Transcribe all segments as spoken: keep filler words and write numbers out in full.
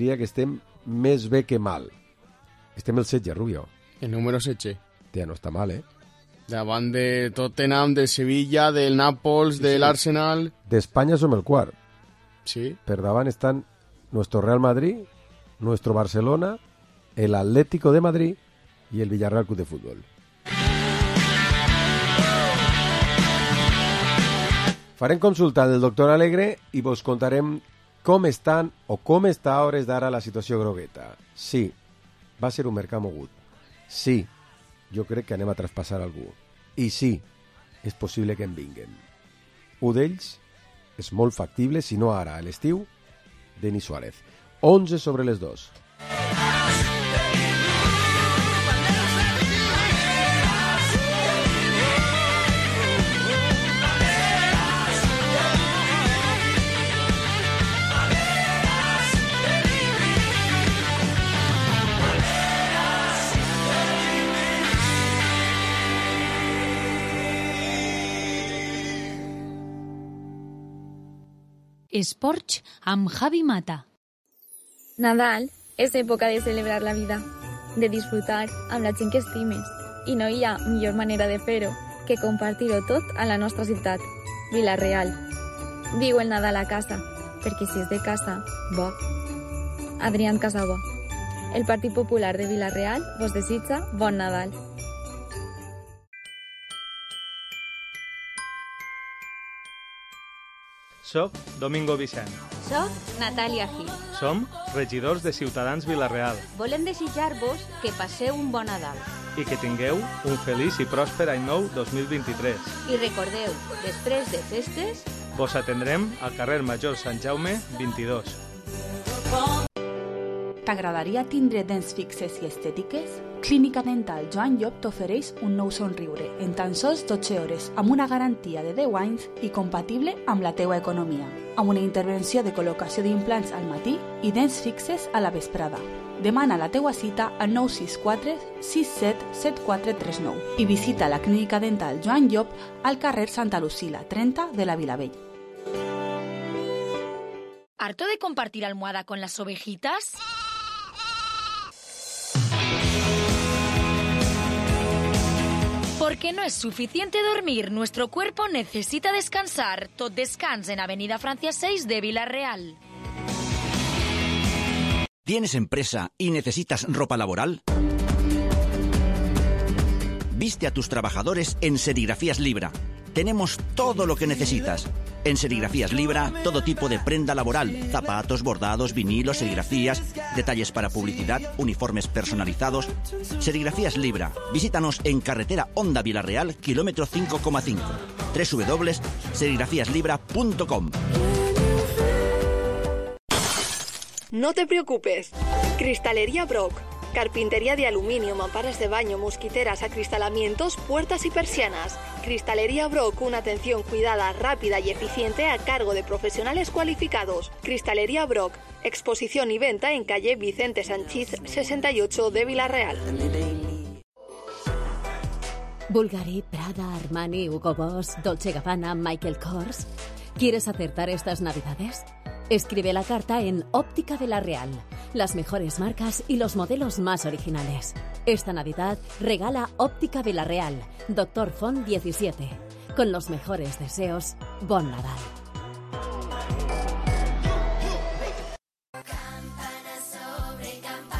Diria que estem més bé que mal. Estem el setze, Rubio. El número setze. Tia, no està mal, eh? Davant de Tottenham, de Sevilla, del Nàpols, sí, de sí. l'Arsenal... D'Espanya som el quart. Sí. Per davant estan nuestro Real Madrid, nuestro Barcelona, el Atlético de Madrid y el Villarreal Club de Fútbol. Farem consulta del doctor Alegre i vos contarem com estan o com està a hores d'ara la situació grogueta. Sí, va ser un mercat mogut. Sí, jo crec que anem a traspassar algú. I sí, és possible que en vinguen. Un d'ells és molt factible, si no ara, a l'estiu, Denis Suárez. onze sobre les dos. Esports amb Javi Mata. Nadal és època de celebrar la vida, de disfrutar amb la gent que estimes, i no hi ha millor manera de fer-ho que compartir-ho tot a la nostra ciutat, Vila-real. Viu el Nadal a casa, perquè si és de casa, bo. Adrián Casabó. El Partit Popular de Vila-real vos desitja bon Nadal. Soc Domingo Vicent. Soc Natàlia Gil. Som regidors de Ciutadans Vila-real. Volem desitjar-vos que passeu un bon Nadal. I que tingueu un feliç i pròsper any nou dos mil vint-i-tres. I recordeu, després de festes... Vos atendrem al carrer Major Sant Jaume vint-i-dos. T'agradaria tindre dents fixes i estètiques? Clínica Dental Joan Llop t'ofereix un nou somriure en tan sols dotze hores amb una garantia de deu anys i compatible amb la teua economia, amb una intervenció de col·locació d'implants al matí i dents fixes a la vesprada. Demana la teua cita al nou sis quatre sis set set quatre tres nou i visita la Clínica Dental Joan Llop al carrer Santa Lucila, trenta de la Vilavell. ¿Harto de compartir almohada con las ovejitas? Porque no es suficiente dormir, nuestro cuerpo necesita descansar. Tot Descans en Avenida Francia seis de Vila-real. ¿Tienes empresa y necesitas ropa laboral? Viste a tus trabajadores en Serigrafías Libra. Tenemos todo lo que necesitas. En Serigrafías Libra, todo tipo de prenda laboral, zapatos, bordados, vinilos, serigrafías, detalles para publicidad, uniformes personalizados. Serigrafías Libra. Visítanos en carretera Honda Vila-real, kilómetro cinco coma cinco. doble u doble u doble u punto serigrafías libra punto com. No te preocupes. Cristalería Brock. Carpintería de aluminio, mamparas de baño, mosquiteras, acristalamientos, puertas y persianas. Cristalería Brock, una atención cuidada, rápida y eficiente a cargo de profesionales cualificados. Cristalería Brock, exposición y venta en calle Vicente Sanchís sesenta y ocho de Vila-real. Bulgari, Prada, Armani, Hugo Boss, Dolce Gabbana, Michael Kors. ¿Quieres acertar estas navidades? Escribe la carta en Óptica Vila-real. Las mejores marcas y los modelos más originales. Esta Navidad regala Óptica Vila-real, Doctor Font diecisiete. Con los mejores deseos, bon Nadal.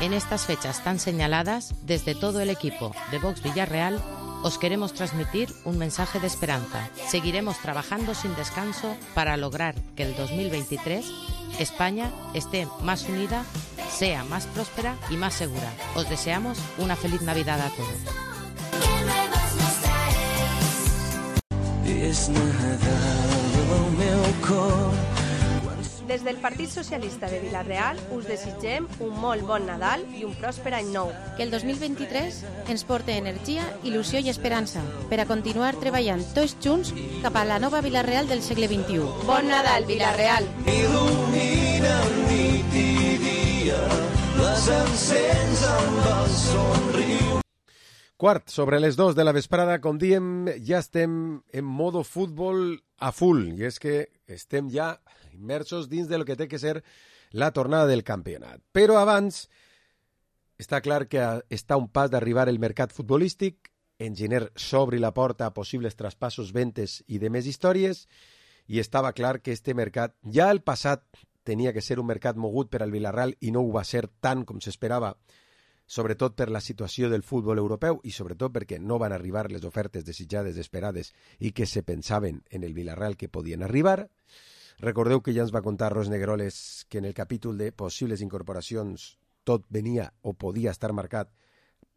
En estas fechas tan señaladas, desde todo el equipo de Vox Villarreal, os queremos transmitir un mensaje de esperanza. Seguiremos trabajando sin descanso para lograr que el dos mil veintitrés España esté más unida, sea más próspera y más segura. Os deseamos una feliz Navidad a todos. Des del Partit Socialista de Vila-real us desitgem un molt bon Nadal i un pròsper any nou. Que el dos mil vint-i-tres ens porti energia, il·lusió i esperança per a continuar treballant tots junts cap a la nova Vila-real del segle vint-i-u. Bon Nadal, Vila-real! Il·lumina nit i dia, les encens amb el somriure. Quart, sobre les dos de la vesprada, com diem, ja estem en modo futbol a full, i és que estem ja immersos dins del que té que ser la tornada del campionat. Però abans, està clar que està un pas d'arribar el mercat futbolístic, Enginyer s'obri la porta a possibles traspassos, ventes i de més històries, i estava clar que este mercat, ja el passat tenia que ser un mercat mogut per al Villarreal i no ho va ser tant com s'esperava, sobretot per la situació del futbol europeu i sobretot perquè no van arribar les ofertes desitjades, esperades i que se pensaven en el Villarreal que podien arribar. Recordeu que ja ens va contar Ros Negroles que en el capítol de possibles incorporacions tot venia o podia estar marcat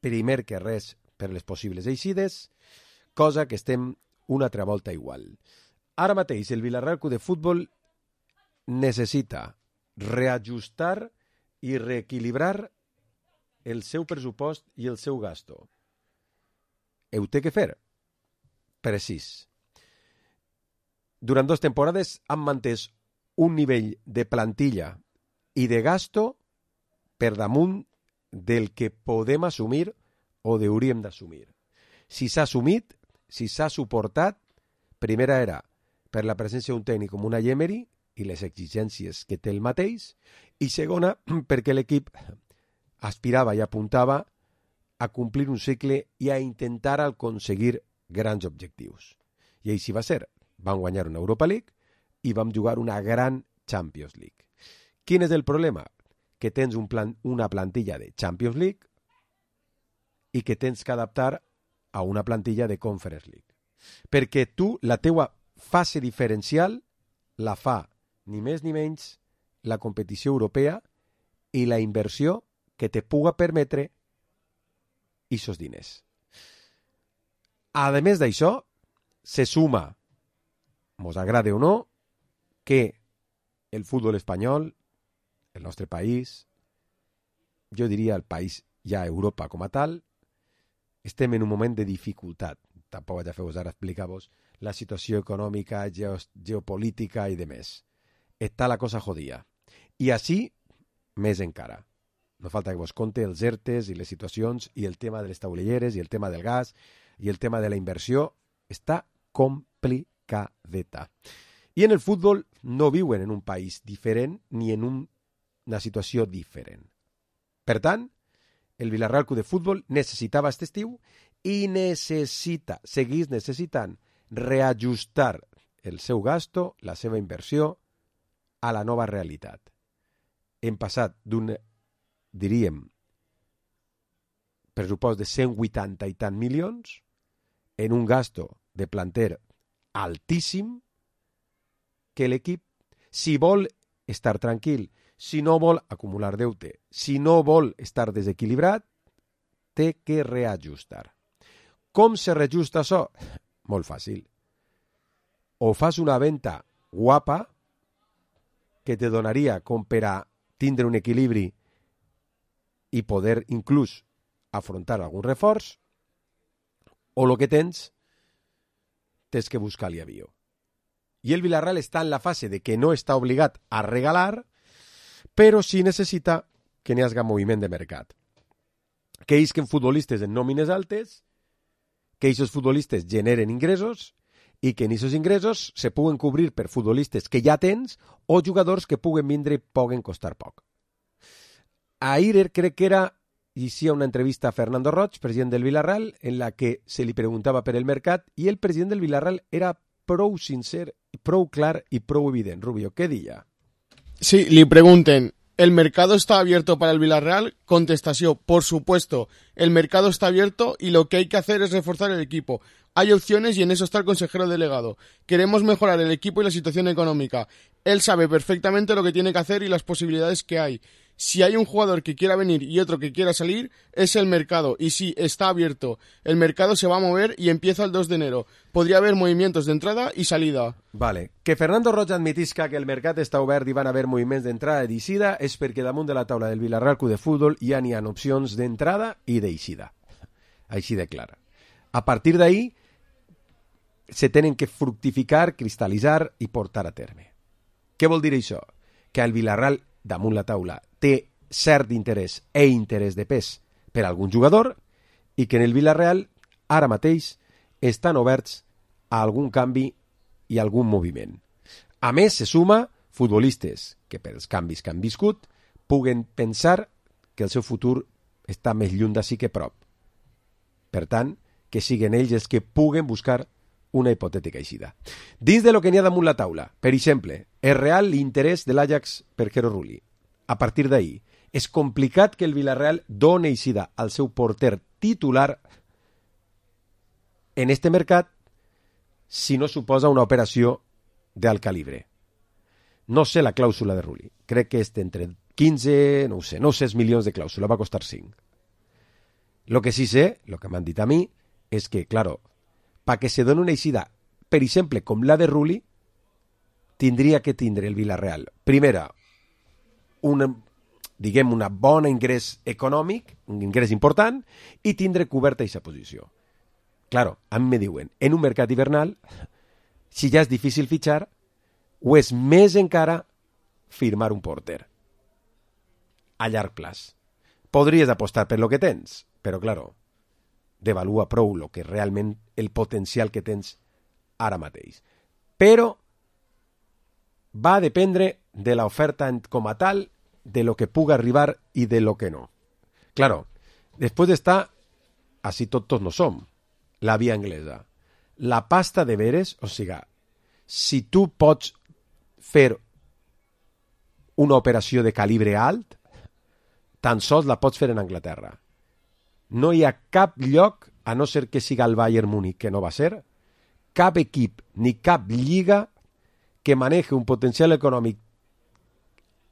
primer que res per les possibles eixides, cosa que estem una altra volta igual. Ara mateix el Villarreal Club de Futbol necessita reajustar i reequilibrar el seu pressupost i el seu gasto. Ho té que fer? Precís. Durant dues temporades han mantès un nivell de plantilla i de gasto per damunt del que podem assumir o hauríem d'assumir. Si s'ha assumit, si s'ha suportat, primera era per la presència d'un tècnic com una Emery i les exigències que té el mateix, i segona perquè l'equip aspirava i apuntava a complir un cicle i a intentar aconseguir grans objectius. I així va ser. Vam guanyar una Europa League i vam jugar una gran Champions League. Quin és el problema? Que tens un plan, una plantilla de Champions League i que tens que adaptar a una plantilla de Conference League. Perquè tu, la teua fase diferencial la fa ni més ni menys la competició europea i la inversió que te puga permetre aquests diners. A més d'això, se suma, mos agrade o no, que el futbol espanyol, el nostre país, jo diria el país ja Europa com a tal, estem en un moment de dificultat. Tampoc vaig a fer-vos ara explicar-vos la situació econòmica, geopolítica i de més. Està la cosa jodida. I així, més encara. No falta que vos conte els ERTEs i les situacions i el tema de les taulelleres i el tema del gas i el tema de la inversió està complicadeta. I en el futbol no viuen en un país diferent ni en un, una situació diferent. Per tant, el Villarreal Club de Futbol necessitava aquest estiu i necessita, seguís necessitant, reajustar el seu gasto, la seva inversió, a la nova realitat. Hem passat d'un, diríem, pressupost de cent vuitanta i tant milions en un gasto de planter altíssim que l'equip, si vol estar tranquil, si no vol acumular deute, si no vol estar desequilibrat, té que reajustar. Com se reajusta això? Molt fàcil. O fas una venda guapa que te donaria com per a tindre un equilibri i poder inclús afrontar algun reforç, o el que tens, tens que buscar-li avió. I el Villarreal està en la fase de que no està obligat a regalar, però sí necessita que n'hi hagi moviment de mercat. Que isquen futbolistes en nòmines altes, que aquests futbolistes generen ingressos i que en aquests ingressos se puguen cobrir per futbolistes que ja tens o jugadors que puguen vindre i puguen costar poc. Ahir crec que era, i sí, una entrevista a Fernando Roig, president del Villarreal, en la que se li preguntava per el mercat i el president del Villarreal era prou sincer, prou clar y prou evident. Rubio, ¿qué diría? Sí, le pregunten, ¿el mercado está abierto para el Villarreal? Contestación, por supuesto, el mercado está abierto y lo que hay que hacer es reforzar el equipo. Hay opciones y en eso está el consejero delegado. Queremos mejorar el equipo y la situación económica. Él sabe perfectamente lo que tiene que hacer y las posibilidades que hay. Si hay un jugador que quiera venir y otro que quiera salir, es el mercado. Y sí, está abierto. El mercado se va a mover y empieza el dos de enero. Podría haber movimientos de entrada y salida. Vale. Que Fernando Roig admetisca que el mercat està obert i van haver moviments d'entrada i d'eixida és perquè damunt de la taula del Villarreal Club de Futbol ja n'hi ha opcions d'entrada i d'eixida. Així de clara. A partir d'ahí se tenen que fructificar, cristal·litzar i portar a terme. Què vol dir això? Que el Villarreal damunt la taula té cert interès e interès de pes per a algun jugador i que en el Villarreal ara mateix estan oberts a algun canvi i algun moviment. A més, se suma futbolistes que pels canvis que han viscut puguen pensar que el seu futur està més lluny d'ací que prop. Per tant, que siguin ells els que puguen buscar una hipotètica eixida. Dins de lo que n'hi ha damunt la taula, per exemple, és real l'interès de l'Ajax per Jero Rulli. A partir d'ahir, és complicat que el Villarreal doni eixida al seu porter titular en este mercat si no suposa una operació d'alt calibre. No sé la clàusula de Rulli. Crec que és entre quinze, no ho sé, no sé, milions de clàusula, va costar cinc. Lo que sí sé, lo que m'han dit a mi, és que, claro, para que se doni una eixida, per exemple, com la de Rulli, tindria que tindre el Villarreal, primera, una, diguem, una bona ingrés econòmic, un ingrés important, i tindre coberta aquesta posició. Claro, a mi me diuen, en un mercat hivernal, si ja és difícil fitxar, o és més encara firmar un porter a llarg plaç. Podries apostar per lo que tens, però, claro, devalua prou lo que realment el potencial que tens ara mateix. Però va a dependre de l'oferta com a tal, de lo que puga arribar i de lo que no. Claro, després d'estar, així tot tots no som, la via anglesa. La pasta de veres, o sigui, si tu pots fer una operació de calibre alt, tan sols la pots fer en Anglaterra. No hi ha cap lloc, a no ser que siga el Bayern Múnich, que no va ser, cap equip ni cap lliga que manegi un potencial econòmic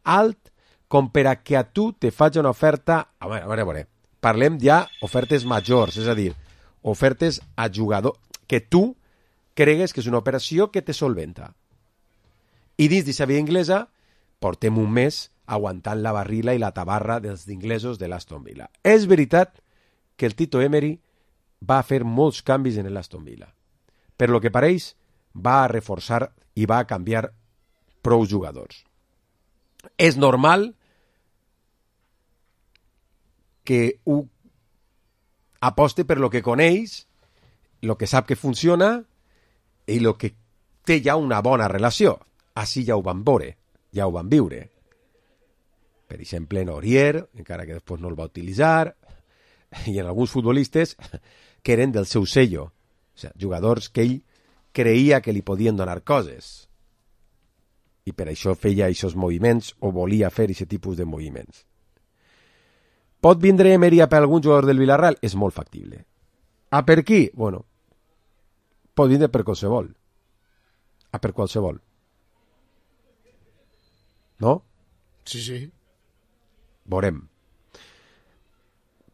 alt com per a que a tu te faci una oferta... A veure, a veure, a veure. Parlem ja ofertes majors, és a dir, ofertes a jugador que tu cregues que és una operació que te solventa. I dins d'aquesta via inglesa portem un mes aguantant la barrila i la tabarra dels inglesos de l'Aston Villa. És veritat que el Tito Emery va fer molts canvis en l'Aston Villa. Per lo que pareix, va a reforçar i va a canviar prou jugadors. És normal que ho aposte per lo que coneix, lo que sap que funciona i lo que té ja una bona relació. Així ja ho van veure, ja ho van viure. Per exemple, en Aurier, encara que després no el va utilitzar, i en alguns futbolistes que eren del seu sello, o sigui, jugadors que ell creia que li podien donar coses. I per això feia aquests moviments o volia fer aquest tipus de moviments. Pot vindre Emery per algun jugador del Villarreal? És molt factible. A per qui? Bueno, pot vindre per qualsevol. A per qualsevol. No? Sí, sí. Veurem.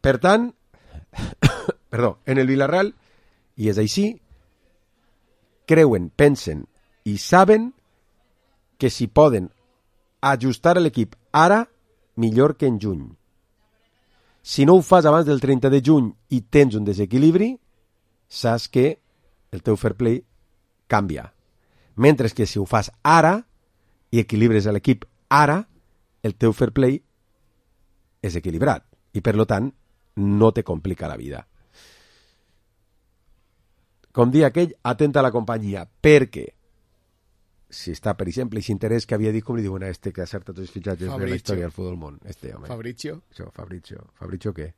Per tant, perdó, en el Villarreal, i és així, creuen, pensen i saben que si poden ajustar l'equip ara, millor que en juny. Si no ho fas abans del trenta de juny i tens un desequilibri, saps que el teu fair play canvia. Mentre que si ho fas ara i equilibres l'equip ara, el teu fair play és equilibrat i, per tant, no te complica la vida. Com dia aquell, atenta a la companyia, perquè si està, per exemple, aquest interès que havia dit, com li diuen a este que acerta tots els fitxatges de la història del futbol món. Este, home. Fabrizio. Això, Fabrizio. Fabrizio què?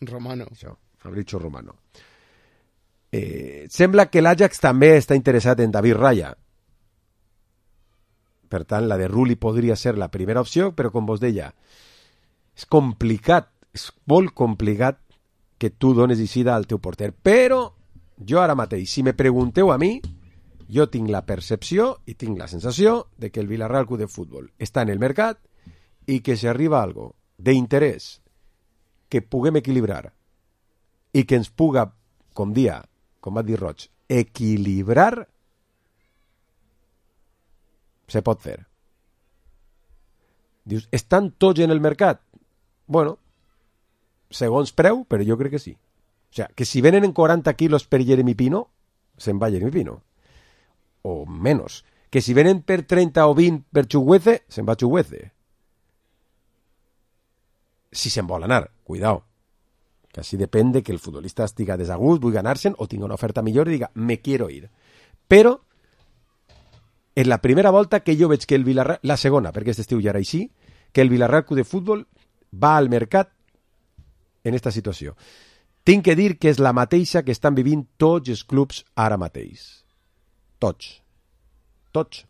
Romano. Això, Fabrizio Romano. Eh, sembla que l'Ajax també està interessat en David Raya. Per tant, la de Rulli podria ser la primera opció, però com vos deia, és complicat, és molt complicat que tu dones eixida al teu porter. Però jo ara mateix, si me pregunteu a mi, jo tinc la percepció i tinc la sensació de que el Villarreal Club de Futbol està en el mercat i que si arriba algo d'interès que puguem equilibrar i que ens puga, com dia, com va dir Roig, equilibrar, se pot fer. Dius, estan tots en el mercat? Bueno, segons preu, però jo crec que sí. O sigui, que si venen en quaranta quilos per Jeremy Pino, se'n va Jeremy Pino. O menos. Que si venen per trenta o vint per Chukwueze, se'n va Chukwueze. Si se'n vol anar, cuidao. Que així depèn de que el futbolista estiga desagust, vulgui anar-se'n o tingui una oferta millor i diga, me quiero ir. Però és la primera volta que jo veig que el Villarreal, la segona, perquè aquest estiu ja era així, que el Villarreal Club de Futbol va al mercat en esta situació. Tinc que dir que és la mateixa que estan vivint tots els clubs ara mateix. Tots. Tots.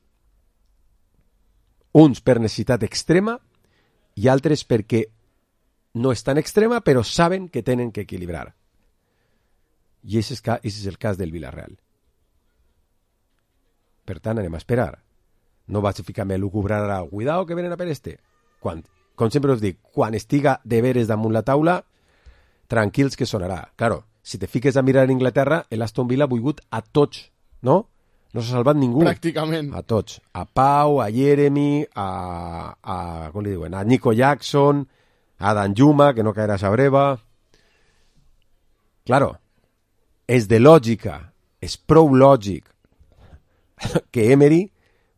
Uns per necessitat extrema i altres perquè no és tan extrema, però saben que tenen que equilibrar. I aquest és el cas del Villarreal. Per tant, anem a esperar. No vaig a ficar-me a lucubrar ara, cuidao que venen a per este. Quan, com sempre us dic, quan estiga de veres damunt la taula, tranquils que sonarà. Claro, si te fiques a mirar en Inglaterra, l'Aston Villa ha volgut a tots, no? No s'ha salvat ningú. Pràcticament. A tots. A Pau, a Jeremy, a, a, com li diuen, a Nico Jackson, a Danjuma, que no caerà a Sabreva. Claro, és de lògica, és prou lògic que Emery,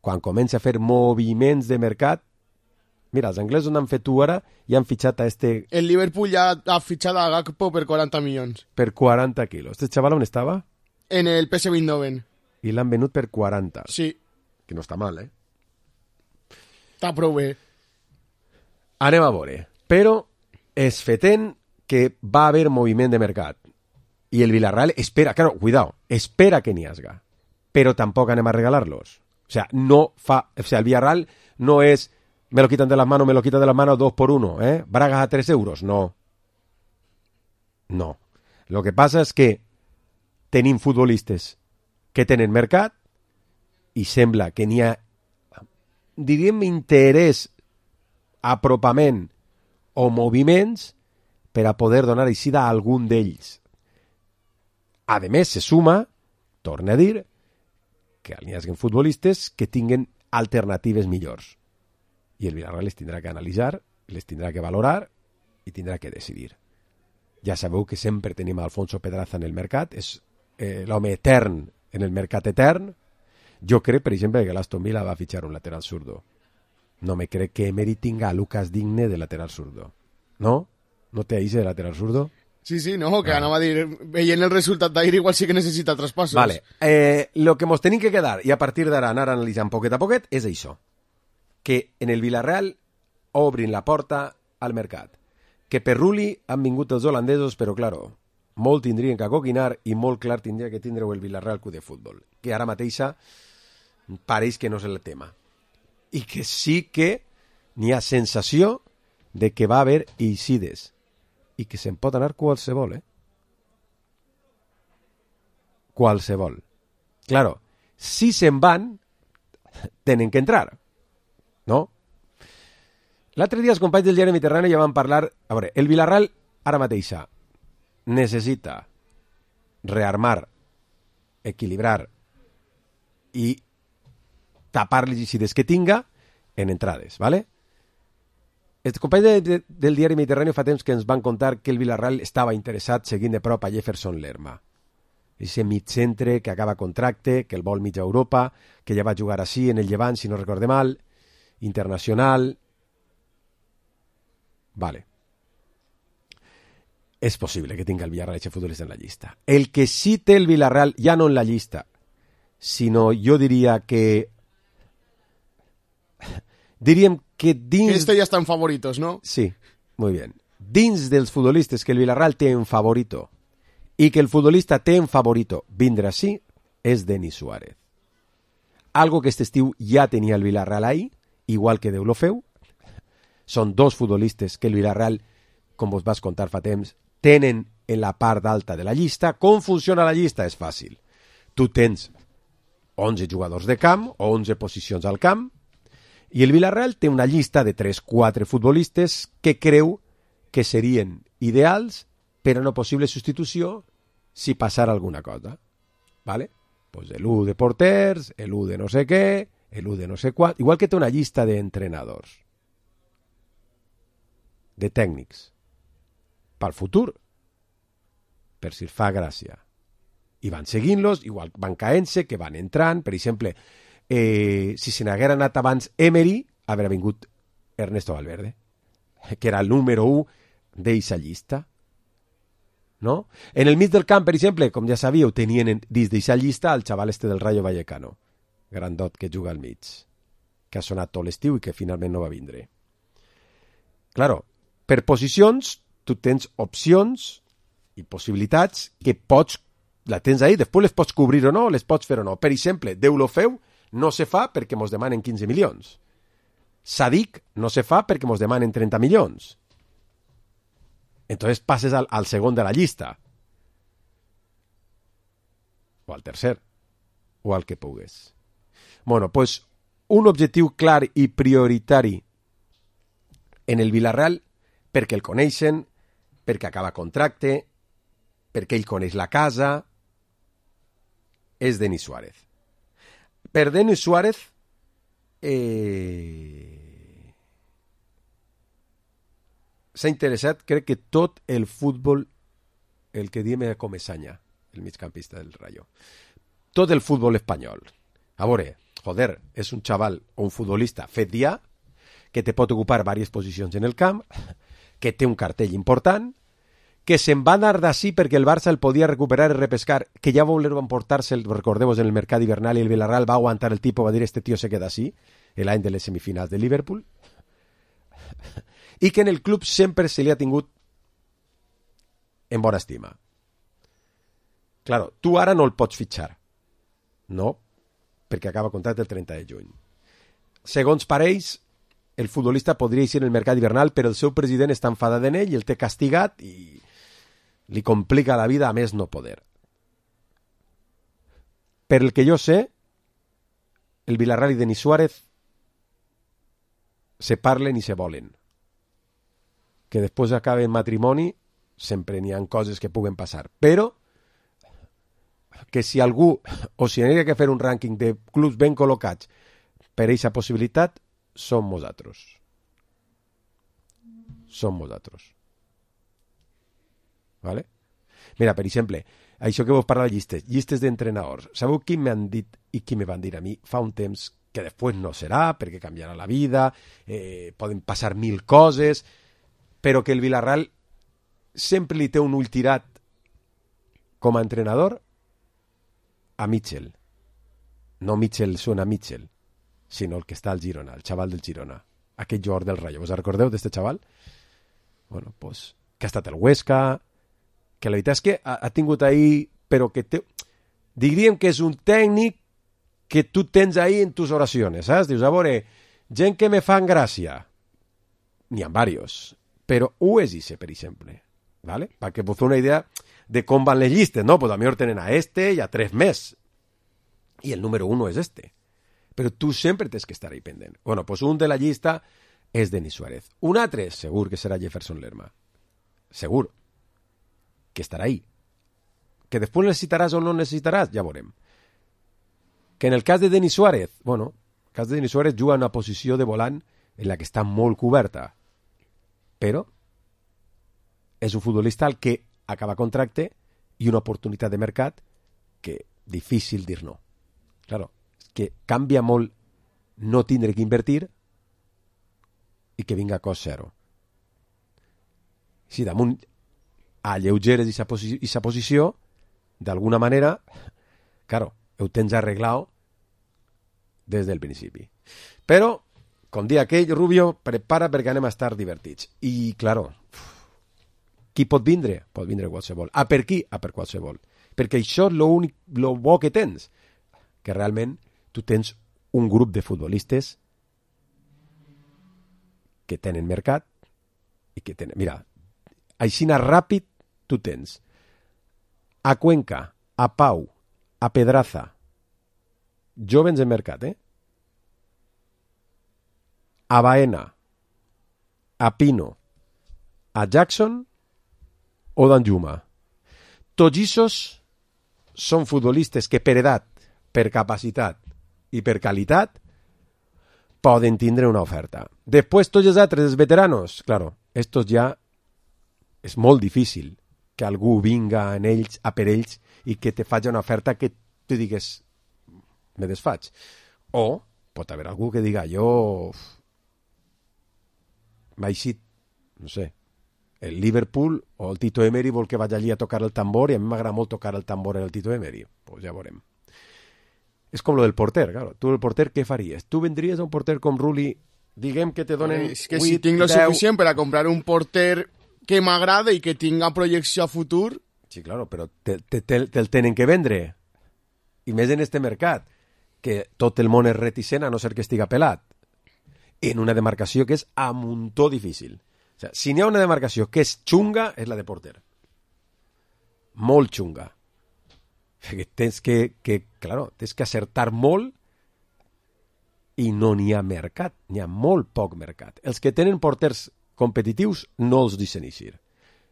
quan comença a fer moviments de mercat, mira, els anglesos han fet tu ara i han fitxat a este... El Liverpool ja ha fitxat a Gakpo per quaranta milions. Per quaranta quilos. Este xaval on estava? En el P S V Eindhoven. I l'han venut per quaranta. Sí. Que no està mal, eh? Està prou bé. Anem a veure. Però és fetent que va haver moviment de mercat. I el Villarreal espera, claro, cuidado, espera que n'hi hagi. Però tampoc anem a regalar-los. O sea, no fa... O sea, el Villarreal no és me lo quitan de las manos, me lo quitan de las manos dos por uno, ¿eh? Bragas a tres euros, no. No. Lo que passa és que tenim futbolistes que tenen mercat i sembla que n'hi ha, diríem, interès, apropament o moviments per a poder donar eixida a algun d'ells. A més, se suma, torna a dir, que n'hi hagi futbolistes que tinguen alternatives millors. I el Villarreal les tindrà que analitzar, les tindrà que valorar i tindrà que decidir. Ja sabeu que sempre tenim a Alfonso Pedraza en el mercat, és eh, l'home etern en el mercat etern. Jo crec, per exemple, que l'Aston Villa va fitxar un lateral zurdo. No me crec que Emery tinga a Lucas Digne de lateral zurdo. No? No té ahí de lateral zurdo? Sí, sí, no, que ah. anava a dir, veient el resultat d'ahir igual sí que necessita traspassos. Vale, eh, lo que mos tenim que quedar, i a partir d'ara anar analitzant poquet a poquet, és això. Que en el Villarreal obrin la porta al mercat. Que per Rulli han vingut els holandesos, però, claro, molt tindrien que coquinar i molt clar tindria que tindre el Villarreal Club de Futbol, que ara mateixa pareix que no és el tema. I que sí que n'hi ha sensació de que va haver eixides i que se'n pot anar qualsevol, eh? Qualsevol. Claro, si se'n van, tenen que entrar, no? L'altre dia els companys del diari Mediterrani ja van parlar... A veure, el Villarreal ara mateixa necessita rearmar, equilibrar i tapar les eixides que tinga en entrades, ¿vale? Els companys de, de, del diari Mediterrani fa temps que ens van contar que el Villarreal estava interessat seguint de prop a Jefferson Lerma. Ese mig-centre que acaba contracte, que el vol mitja Europa, que ja va jugar així en el Llevant, si no recorde mal, internacional... Vale. És possible que tinga el Villarreal aquest futbolista en la llista. El que sí té el Villarreal, ja no en la llista, sinó jo diria que... Diríem que dins... Este ja està en favoritos, ¿no? Sí, muy bien. Dins dels futbolistes que el Villarreal té en favorito i que el futbolista té en favorito vindre així, és Denis Suárez. Algo que este estiu ja tenia el Villarreal ahí, igual que Déu lo feu. Són dos futbolistes que el Villarreal, com vos vas contar fa temps, tenen en la part alta de la llista. Com funciona la llista? És fàcil. Tu tens onze jugadors de camp o onze posicions al camp i el Villarreal té una llista de tres quatre futbolistes que creu que serien ideals per a una possible substitució si passara alguna cosa. ¿Vale? Pues l'u de porters, l'u de no sé què, l'u de no sé quant... Igual que té una llista d'entrenadors, de tècnics, pel futur, per si fa gràcia. I van seguint-los, igual van caent-se, que van entrant. Per exemple, eh, si se n'haguera anat abans Emery, haurà vingut Ernesto Valverde, que era el número u d'eixa llista. No? En el mig del camp, per exemple, com ja sabíeu, tenien dins d'eixa llista el xaval este del Rayo Vallecano. grandot que juga al mig, que ha sonat tot l'estiu i que finalment no va vindre. Claro, per posicions, tu tens opcions i possibilitats que pots, la tens ahí, després les pots cobrir o no, les pots fer o no. Per exemple, Deulofeu no se fa perquè mos demanen quinze milions. Sadik no se fa perquè mos demanen trenta milions. Entonces passes al, al segon de la llista. O al tercer. O al que pugues. Bueno, pues un objectiu clar i prioritari en el Villarreal, perquè el coneixen, perquè acaba contracte, perquè ell coneix la casa, és Denis Suárez. Per Denis Suárez, eh... s'ha interessat, crec que tot el futbol, el que diem com Esanya, el migcampista del Rayo, tot el futbol espanyol. A veure, joder, és un xaval o un futbolista fet ja, que te pot ocupar diverses posicions en el camp, que té un cartell important, que se'n va anar d'ací perquè el Barça el podia recuperar i repescar, que ja voler emportar-se, recordeu-vos, en el mercat hivernal, i el Villarreal va aguantar el tipus, va dir, este tío se queda así, l'any de les semifinals de Liverpool, i que en el club sempre se li ha tingut en bona estima. Claro, tu ara no el pots fitxar, no, perquè acaba contracte el trenta de juny. Segons parells, el futbolista podria ir en el mercat hivernal, però el seu president està enfadat en ell i el té castigat i li complica la vida a més no poder. Per el que jo sé, el Villarreal i Denis Suárez se parlen i se volen. Que després acabe en matrimoni, sempre n'hi ha coses que puguen passar. Però que si algú, o si n'hi ha que fer un rànquing de clubs ben col·locats per a aquesta possibilitat, som nosaltres. Som nosaltres. ¿Vale? Mira, per exemple, això que vos parla de llistes, llistes d'entrenadors. Sabeu qui m'han dit i qui me van dir a mi fa un temps que després no serà, perquè canviarà la vida, eh, poden passar mil coses, però que el Villarreal sempre li té un ull tirat com a entrenador a Mitchell. No Mitchell suena a Mitchell, sinó el que està al Girona, el xaval del Girona, aquest jugador del Rayo. Vos recordeu d'este xaval? Bueno, pues, que ha estat el Huesca, que la veritat és que ha, ha tingut ahí, però que té... diríem que és un tècnic que tu tens ahí en tus oracions, saps? Dius, a veure, gent que me fan gràcia. N'hi ha varios, però ho és ixe, per exemple, ¿vale? Perquè vos feu una idea de com van les llistes, no? Pues a millor tenen a este i a tres més, i el número uno és este. Però tu sempre tens que estar ahí pendent. Bueno, pues un de la llista és Denis Suárez. Un altre, segur que serà Jefferson Lerma. Segur que estarà ahí. Que després necessitaràs o no necessitaràs, ja veurem. Que en el cas de Denis Suárez, bueno, el cas de Denis Suárez juga en una posició de volant en la que està molt coberta. Però és un futbolista al que acaba contracte i una oportunitat de mercat que difícil dir no. Claro, que canvia molt no tindre que invertir i que vinga a cost zero. Si damunt alleugeres aquesta posi posició, d'alguna manera, claro, ho tens arreglat des del principi. Però, com dia aquell, Rubio, prepara perquè anem a estar divertits. I, claro, qui pot vindre? Pot vindre qualsevol. A per qui? A per qualsevol. Perquè això és l'únic, lo bo que tens, que realment tu tens un grup de futbolistes que tenen mercat i que tenen... Mira, aixina ràpid tu tens a Cuenca, a Pau, a Pedraza, jovens en mercat, eh? A Baena, a Pino, a Jackson o d'Anjuma. Tots aquests són futbolistes que per edat, per capacitat i per qualitat poden tindre una oferta. Després tots els altres, els veteranos, claro, estos ja és molt difícil que algú vinga en ells, a per ells, i que te faci una oferta que tu digues me desfaig. O pot haver algú que diga jo m'ha eixit, no sé, el Liverpool o el Tito Emery vol que vaig allí a tocar el tambor i a mi m'agrada molt tocar el tambor en el Tito Emery. Pues ja veurem. És com lo del porter, claro. Tu el porter què faries? Tu vendries a un porter com Rulli, diguem que te donen... És que si tinc lo suficient per a comprar un porter que m'agrada i que tinga projecció a futur... Sí, claro, però te'l te, te, te tenen que vendre. I més en este mercat, que tot el món és reticent a no ser que estiga pelat. En una demarcació que és a muntó difícil. O sea, si n'hi ha una demarcació que és xunga, és la de porter. Molt xunga. Perquè tens que, que, claro, tens que acertar molt i no n'hi ha mercat, n'hi ha molt poc mercat. Els que tenen porters competitius no els deixen eixir.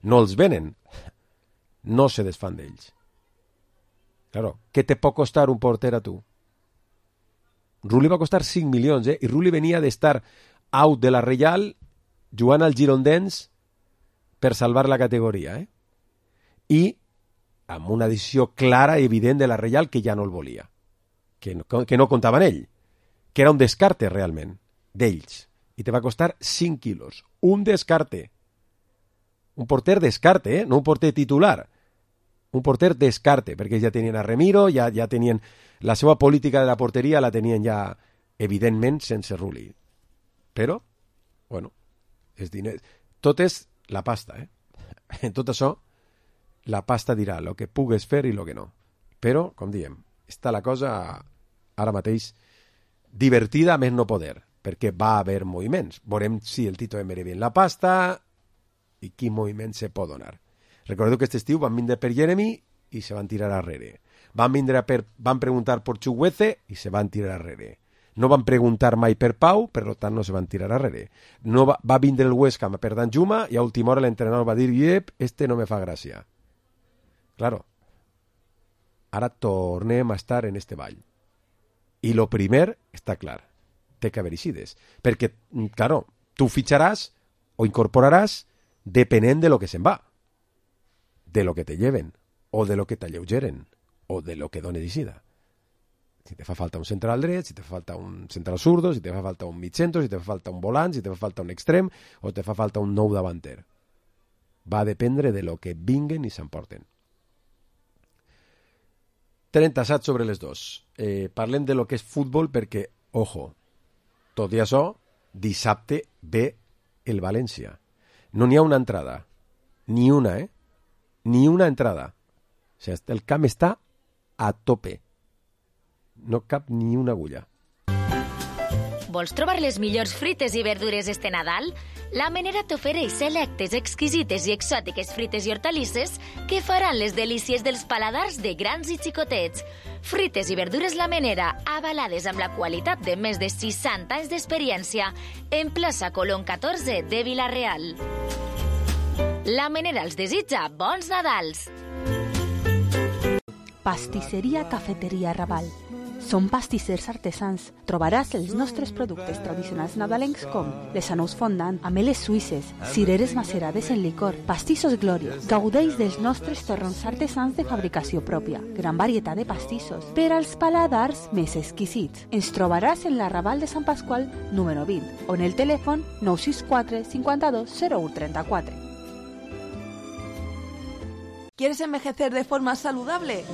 No els venen, no se desfan d'ells. Claro, què te pot costar un porter a tu? Rulli va costar cinc milions, eh? I Rulli venia d'estar out de la Reial jugant al Girondins per salvar la categoria, eh? I amb una decisió clara i evident de la Reial que ja no el volia, que no, que no comptava en ell, que era un descarte realment d'ells, i te va costar cinc quilos, un descarte, un porter descarte, eh? No un porter titular, un porter descarte, perquè ja tenien a Remiro, ja, ja tenien la seva política de la porteria, la tenien ja evidentment sense Rulli, però bueno, és diner, tot és la pasta, eh? En tot això la pasta dirà el que pugues fer i el que no. Però, com diem, està la cosa ara mateix divertida a més no poder, perquè va haver moviments. Veurem si el Tito emere bien la pasta i quin moviment se pot donar. Recordeu que aquest estiu van vindre per Jeremy i se van tirar arrere. Van vindre per, van preguntar per Chukwueze i se van tirar arrere. No van preguntar mai per Pau, per tant no se van tirar arrere. No va, va vindre el West Ham per Danjuma i a última hora l'entrenador va dir «Yep, este no me fa gràcia». Claro, ara tornem a estar en este ball. I lo primer està clar, té que haver eixides. Perquè, claro, tu fitxaràs o incorporaràs depenent de lo que se'n va, de lo que te lleven, o de lo que t'alleugeren, o de lo que done d'eixida. Si te fa falta un central dret, si te fa falta un central zurdo, si te fa falta un mitjentro, si te fa falta un volant, si te fa falta un extrem, o te fa falta un nou davanter. Va dependre de lo que vinguen i s'emporten. trenta-set sobre les dos. Eh, parlem de lo que és futbol perquè, ojo, tot i això, dissabte ve el València. No n'hi ha una entrada. Ni una, eh? Ni una entrada. O sigui, el camp està a tope. No cap ni una agulla. Vols trobar les millors frites i verdures este Nadal? La Menera t'ofereix selectes, exquisites i exòtiques frites i hortalisses que faran les delícies dels paladars de grans i xicotets. Frites i verdures La Menera, avalades amb la qualitat de més de seixanta anys d'experiència, en plaça Colón catorze de Vila-real. La Menera els desitja bons Nadals! Pastisseria Cafeteria Raval. Som pastissers artesans. Trobaràs els nostres productes tradicionals nadalencs com les anous fondant, ameles suïsses, cireres macerades en licor, pastissos Glòria. Gaudeix dels nostres torrons artesans de fabricació pròpia. Gran varietat de pastissos per als paladars més exquisits. Ens trobaràs en la Raval de Sant Pasqual número vint o en el telèfon nou sis quatre cinquanta-dos zero u trenta-quatre. ¿Quieres envejecer de forma saludable?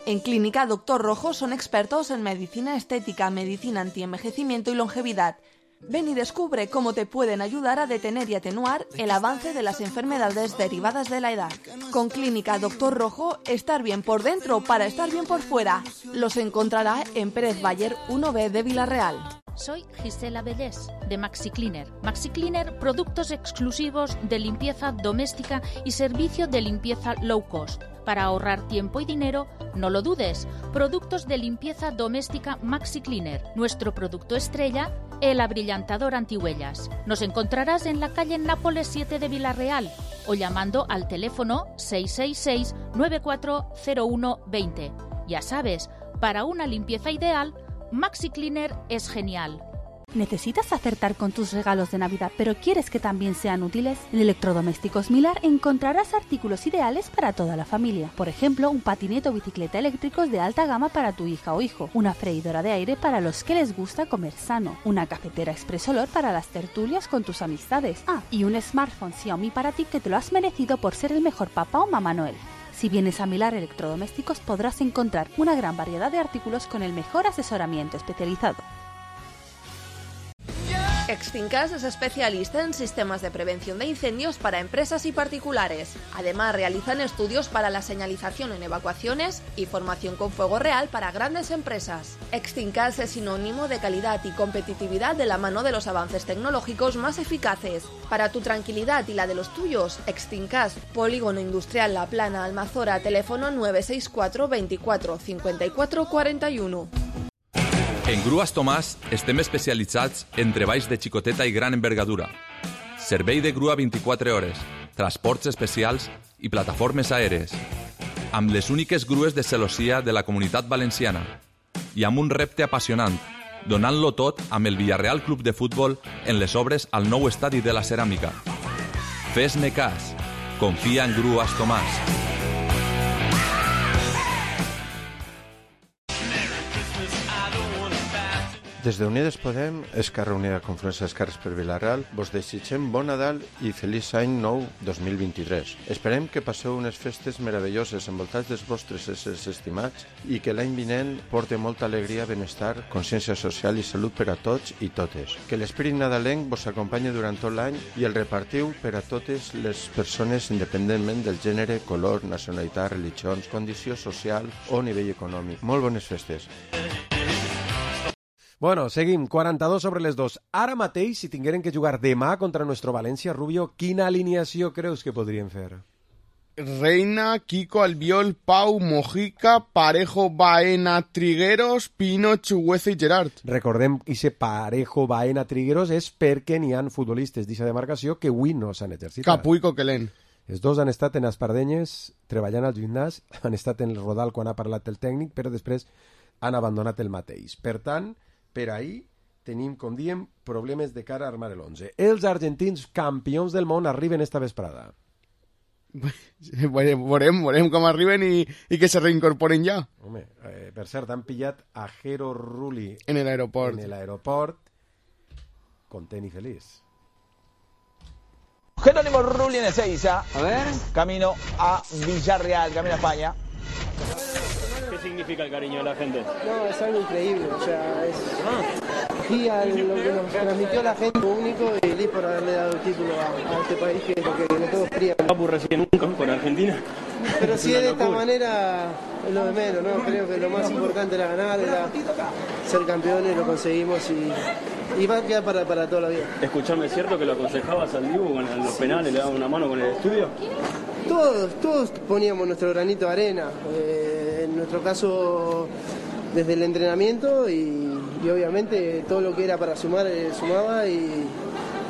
En Clínica Doctor Rojo son expertos en medicina estética, medicina antienvejecimiento y longevidad. Ven y descubre cómo te pueden ayudar a detener y atenuar el avance de las enfermedades derivadas de la edad. Con Clínica Doctor Rojo, estar bien por dentro para estar bien por fuera. Los encontrará en Pérez Bayer uno B de Vila-real. Soy Gisela Bellés, de Maxi Cleaner. Maxi Cleaner, productos exclusivos de limpieza doméstica y servicio de limpieza low cost. Para ahorrar tiempo y dinero, no lo dudes. Productos de limpieza doméstica Maxi Cleaner. Nuestro producto estrella, el abrillantador antihuellas. Nos encontrarás en la calle Nápoles siete de Vila-real o llamando al teléfono seis seis seis nueve cuatro cero uno dos cero. Ya sabes, para una limpieza ideal, Maxi Cleaner es genial. ¿Necesitas acertar con tus regalos de Navidad, pero quieres que también sean útiles? En Electrodomésticos Milar encontrarás artículos ideales para toda la familia. Por ejemplo, un patinete o bicicleta eléctricos de alta gama para tu hija o hijo, una freidora de aire para los que les gusta comer sano, una cafetera Express Olor para las tertulias con tus amistades. Ah, y un smartphone Xiaomi para ti que te lo has merecido por ser el mejor papá o mamá Noel. Si vienes a Milar Electrodomésticos podrás encontrar una gran variedad de artículos con el mejor asesoramiento especializado. Extincas es especialista en sistemas de prevención de incendios para empresas y particulares. Además, realizan estudios para la señalización en evacuaciones y formación con fuego real para grandes empresas. Extincas es sinónimo de calidad y competitividad de la mano de los avances tecnológicos más eficaces. Para tu tranquilidad y la de los tuyos, Extincas, Polígono Industrial La Plana, Almazora, teléfono nueve seis cuatro veinticuatro cincuenta y cuatro cuarenta y uno. En Grues Tomàs estem especialitzats en treballs de xicoteta i gran envergadura, servei de grua vint-i-quatre hores, transports especials i plataformes aèries, amb les úniques grues de celossia de la Comunitat Valenciana i amb un repte apassionant, donant-lo tot amb el Villarreal Club de Futbol en les obres al nou estadi de la Ceràmica. Fes-ne cas, confia en Grues Tomàs. Des d'Unides Podem, Esquerra Unida Confluència d'Esquerres per Vila-real, vos desitgem bon Nadal i feliç any nou dos mil vint-i-tres. Esperem que passeu unes festes meravelloses envoltats dels vostres éssers estimats i que l'any vinent porte molta alegria, benestar, consciència social i salut per a tots i totes. Que l'espírit nadalenc vos acompanyi durant tot l'any i el repartiu per a totes les persones independentment del gènere, color, nacionalitat, religions, condició social o nivell econòmic. Molt bones festes. Bueno, seguim, quaranta-dos sobre les dos. Ara mateix, si tingueren que jugar demà contra nuestro València, Rubio, quina alineació creus que podrien fer? Reina, Kiko, Albiol, Pau, Mojica, Parejo, Baena, Trigueros, Pino, Chugueza i Gerard. Recordem que ese Parejo, Baena, Trigueros és perquè n'hi ha futbolistes d'aquesta demarcació que avui no s'han exercitat. Capú i Coquelin. Els dos han estat en Espardenyes treballant al gimnàs, han estat en el Rodal quan ha parlat el tècnic, però després han abandonat el mateix. Per tant, per ahir tenim, com diem, problemes de cara a armar l'onze. Els argentins campions del món arriben esta vesprada. Veurem, veurem com arriben i, i que se reincorporen ja. Home, eh, per cert, han pillat a Jero Rulli en el aeroport. En el aeroport, content i feliç. Jerónimo Rulli en Ezeiza. A ver. Camino a Villarreal, camino a España. ¿Qué significa el cariño de la gente? No, es algo increíble, o sea, es aquí a lo que nos transmitió la gente, único y feliz por haberle dado el título a, a este país que, que no todos querían. Papu recién nunca con Argentina. Pero si es de esta manera, es lo de menos, ¿no? Creo que lo más importante era ganar, era ser campeones, lo conseguimos y, y va a quedar para, para toda la vida. Escuchame, ¿es cierto que lo aconsejabas al Dibu con los penales, le dabas una mano con el estudio? Todos, todos poníamos nuestro granito de arena, eh, en nuestro caso desde el entrenamiento y, y obviamente todo lo que era para sumar, eh, sumaba y,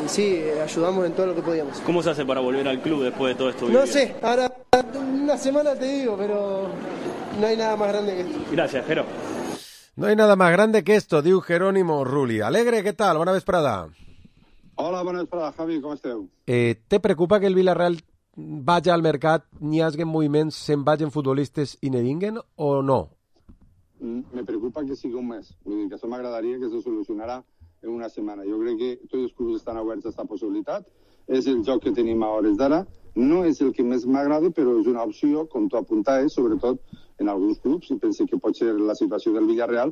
y sí, ayudamos en todo lo que podíamos. ¿Cómo se hace para volver al club después de todo esto? No sé, ahora una semana te digo, pero no hay nada más grande que esto. Gracias, Jero. No hay nada más grande que esto, diu Jerónimo Rulli. Alegre, ¿qué tal? Bona vesprada. Hola, bona vesprada, Javi, com esteu? Eh, ¿Te preocupa que el Villarreal vaya al mercat, n'hi hagi moviments, se'n vagin futbolistes i ne vinguen o no? Me preocupa que sigui un mes. Vull dir que això m'agradaria que se solucionarà en una setmana. Jo crec que tots els clubs estan oberts a aquesta possibilitat. És el joc que tenim a hores d'ara. No és el que més m'agrada, però és una opció, com tu apuntaves, sobretot en alguns clubs, i penso que pot ser la situació del Villarreal,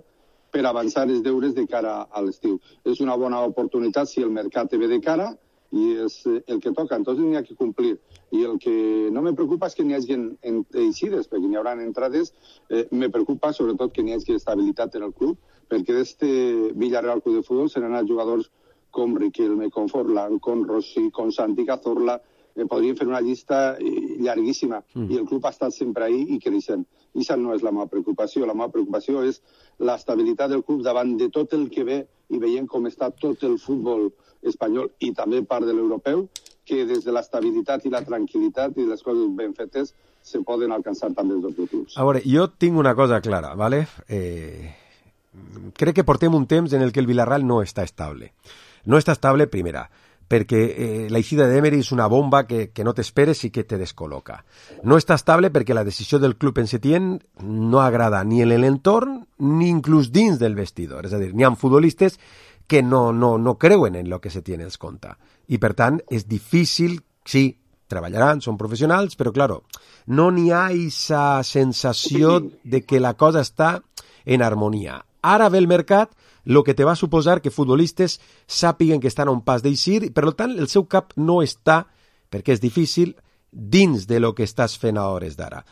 per avançar els deures de cara a l'estiu. És una bona oportunitat si el mercat ve de cara i és el que toca, entonces n'hi ha que complir. I el que no me preocupa és que n'hi hagi eixides, perquè n'hi haurà entrades. Eh, me preocupa sobretot que n'hi hagi estabilitat en el club, perquè d'este Villarreal Club de Futbol se n'han anat jugadors com Riquelme, com Forlán, com Rossi, com Santi Cazorla. Eh, podríem fer una llista llarguíssima, mm. i el club ha estat sempre ahí i creixent. I això no és la meva preocupació. La meva preocupació és l'estabilitat del club davant de tot el que ve i veient com està tot el futbol espanyol i també part de l'europeu, que des de l'estabilitat i la tranquil·litat i les coses ben fetes se poden alcançar també els objectius. A veure, jo tinc una cosa clara, ¿vale? Eh, crec que portem un temps en el que el Villarreal no està estable. No està estable, primera, perquè eh, la eixida d'Emery és una bomba que, que no t'esperes i que te descol·loca. No està estable perquè la decisió del club en Setién no agrada ni en l'entorn ni inclús dins del vestidor. És a dir, n'hi ha futbolistes que no, no, no creuen en el que Setién els conta. I, per tant, és difícil, sí, treballaran, són professionals, però, claro, no n'hi ha esa sensació de que la cosa està en harmonia. Ara ve el mercat, el que te va suposar que futbolistes sàpiguen que estan a un pas d'eixir, i per tant el seu cap no està, perquè és difícil, dins de lo que estàs fent a hores d'ara.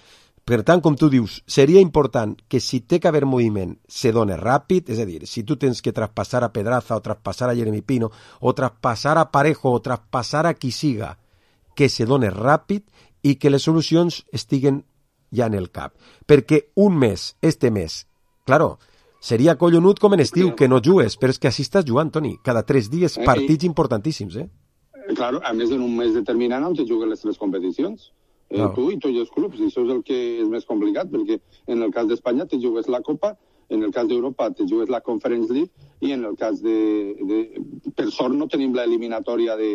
Per tant, com tu dius, seria important que si té que haver moviment se doni ràpid, és a dir, si tu tens que traspassar a Pedraza o traspassar a Jeremy Pino o traspassar a Parejo o traspassar a qui siga, que se doni ràpid i que les solucions estiguen ja en el cap. Perquè un mes, este mes, claro, seria collonut com en estiu, que no jugues, però és que així estàs jugant, Toni, cada tres dies, partits importantíssims, eh? Claro, a més en un mes determinat on te juguen les tres competicions. Eh, no. Tu i tots els clubs, i això és el que és més complicat, perquè en el cas d'Espanya te jugues la Copa, en el cas d'Europa te jugues la Conference League, i en el cas de... de per sort no tenim l'eliminatòria de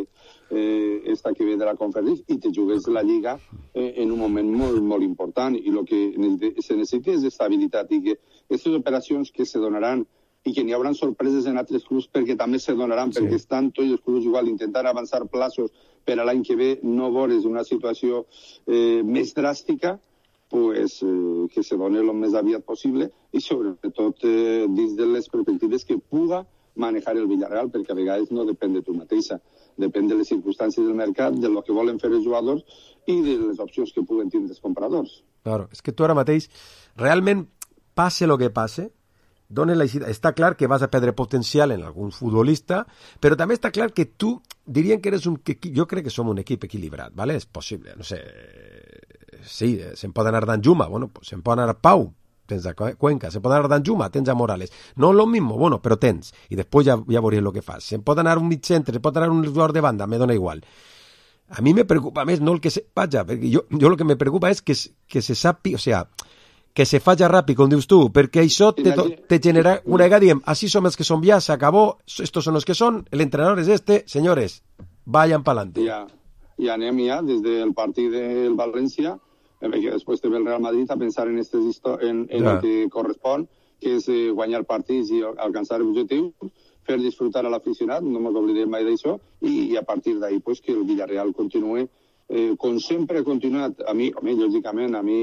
eh, esta que ve de la Conference League, i te jugues la Lliga eh, en un moment molt, molt important, i el que se necessita és estabilitat, i que aquestes operacions que se donaran i que n'hi haurà sorpreses en altres clubs perquè també se donaran, sí. Perquè estan tots els clubs igual intentant avançar plaços per a l'any que ve, no veure una situació eh, més dràstica, pues, eh, que se doni el més aviat possible i sobretot eh, dins de les perspectives que puga manejar el Villarreal, perquè a vegades no depèn de tu mateixa, depèn de les circumstàncies del mercat, de lo que volen fer els jugadors i de les opcions que puguen tindre els compradors. Claro, és que tu ara mateix, realment, passe el que passe, dona la... està clar que vas a perdre potencial en algun futbolista, però també està clar que tu, dirien que eres un... Jo crec que som un equip equilibrat, ¿vale? És possible, no sé... Sí, se'n pot anar Danjuma, bueno, pues se'n pot anar Pau, tens a Cuenca, se'n pot anar Danjuma, tens a Morales. No lo mismo, bueno, però tens, i després ja, ja veuries el que fas. Se'n pot anar un mig centre, se'n pot anar un jugador de banda, me dona igual. A mi me preocupa més no el que se... Vaja, perquè jo, jo el que me preocupa és que, que se sapi, o sea... que se falla ràpid, com dius tu, perquè això te, te genera una vegada, diem, així som els que som ja, s'acabó, estos son los que son, el entrenador es este, señores, vayan pa'lante. Ja, ja anem ja des del partit del València, perquè després te ve el Real Madrid a pensar en, estes en, en ja. El que correspon, que és eh, guanyar partits i alcançar objectius, fer disfrutar a l'aficionat, no ens oblidem mai d'això, i, i a partir d'ahí pues, que el Villarreal continue Eh, com sempre ha continuat, a mi, a mi lògicament, a mi,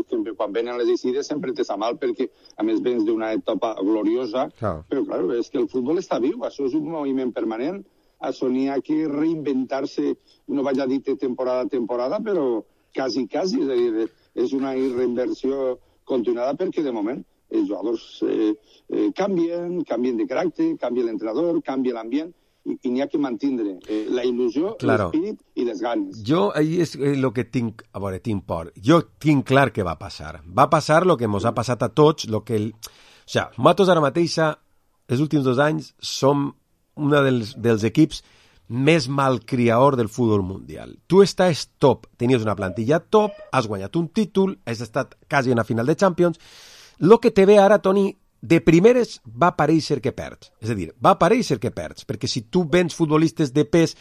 sempre, quan venen les eixides, sempre te sa mal, perquè a més vens d'una etapa gloriosa, claro. Però clar, és que el futbol està viu, això és un moviment permanent, això n'hi ha que reinventar-se, no vaig a dir temporada a temporada, però quasi, quasi, és a dir, és una reinversió continuada, perquè de moment els jugadors eh, eh, canvien, canvien de caràcter, canvia l'entrenador, canvia l'ambient, i, i n'hi ha que mantindre eh, la il·lusió, claro. L'espírit i les ganes. Jo, ahí és el que tinc, a veure, tinc por. Jo tinc clar que va passar. Va passar el que ens ha passat a tots, lo que el... O sea, nosaltres ara mateixa, els últims dos anys, som un dels, dels equips més malcriador del futbol mundial. Tu estàs top, tenies una plantilla top, has guanyat un títol, has estat quasi en la final de Champions. Lo que te ve ara, Toni, de primeres va parèixer que perds. És a dir, va parèixer que perds, perquè si tu vens futbolistes de pes,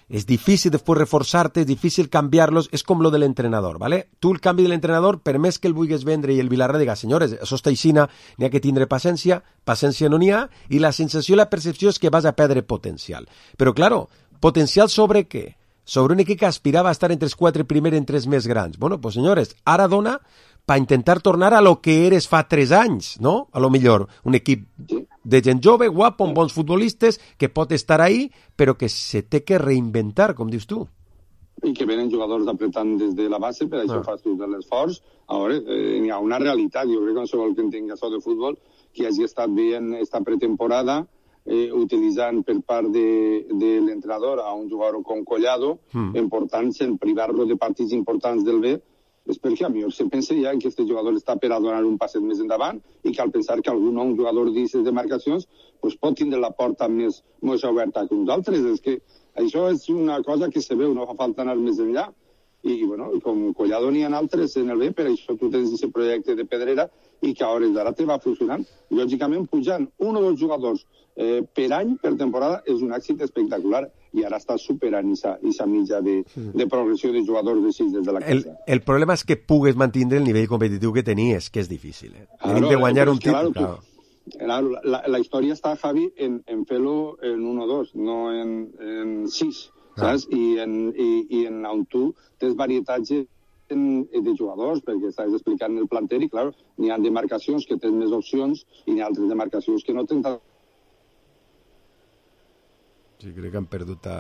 és difícil després reforçar-te, és difícil canviar-los, és com lo de l'entrenador, ¿vale? Tu el canvi de l'entrenador, per més que el vulguis vendre i el Villarreal diga, senyores, això està aixina, n'hi ha que tindre paciència, paciència no n'hi ha, i la sensació i la percepció és que vas a perdre potencial. Però, claro, potencial sobre què? Sobre un equip que aspirava a estar entre els quatre primers entre els més grans. Bueno, pues senyores, ara dona per intentar tornar a lo que eres fa tres anys, no? A lo millor, un equip de gent jove, guapo, amb bons futbolistes, que pot estar ahí, però que se té que reinventar, com dius tu. I que venen jugadors apretant des de la base, per això ah. fas tu de l'esforç. Ara, eh, hi ha una realitat, jo crec que qualsevol que entenga això de futbol, que hagi estat veient esta pretemporada, eh, utilitzant per part de, de l'entrenador a un jugador com Collado, mm. important-se en privar-lo de partits importants del B, és perquè a mi se pensa ja que aquest jugador està per a donar un passet més endavant i cal pensar que algun un jugador d'aquestes demarcacions pues, pot tindre la porta més, més oberta que uns altres. És que això és una cosa que se veu, no fa falta anar més enllà. I, bueno, com Collado n'hi ha altres en el B, per això tu tens aquest projecte de Pedrera i que a hores d'ara te va funcionant. Lògicament, pujant un o dos jugadors eh, per any, per temporada, és un èxit espectacular. I ara està superant aquesta mitja de, de progressió de jugadors de sis des de la casa. El, el problema és que pugues mantenir el nivell competitiu que tenies, que és difícil. Eh? Claro, Tenim de guanyar un títol. Claro, claro. La, la història està, Javi, en, en fer-lo en un o dos, no en, en sis. saps? I, en, i, i en on tu tens varietatge de jugadors, perquè estàs explicant el planter i, clar, n'hi ha demarcacions que tenen més opcions i n'hi ha altres demarcacions que no tenen. Sí, crec que han perdut a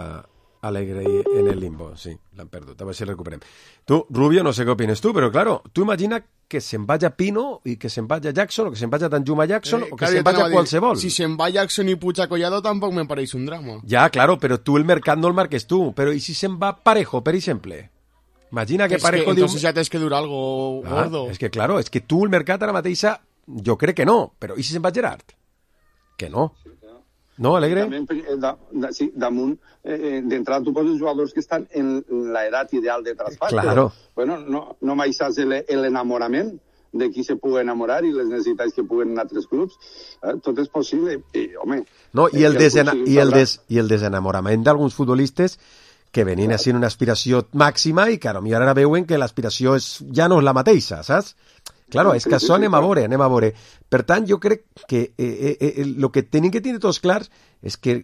Alegre en el limbo, sí, l'han perdut, a veure si el recuperem. Tu, Rubio, no sé què opines tu, però, claro, tu imagina que se'n vaya Pino i que se'n vaya Jackson o que se'n vaya Danjuma Jackson eh, o que se'n vaya qualsevol. Si se'n va Jackson i Puig a Collado tampoc me pareix un drama. Ja, claro, però tu el mercat no el marques tu, però i si se'n va Parejo, per exemple? Imagina que es Parejo que, diu... Entonces ya tienes que durar algo ah, gordo. És que, claro, és que tu el mercat ara mateixa, jo crec que no, però i si se'n va Gerard? Que no. No, Alegre? També, da, da, sí, damunt, eh, d'entrada tu poses jugadors que estan en l'edat ideal de traspàs. Claro. Però, bueno, no, no m'aixàs l'enamorament de qui se pugui enamorar i les necessitats que puguen en altres clubs. Eh, tot és possible. I, home... No, i el, el desena, i el, des, i el desenamorament d'alguns futbolistes que venien a ser una aspiració màxima i, claro, i ara veuen que l'aspiració és, ja no és la mateixa, saps? Claro, és que això anem a veure, anem a veure. Per tant, jo crec que eh, eh, el que tenim que tindre tots clars és que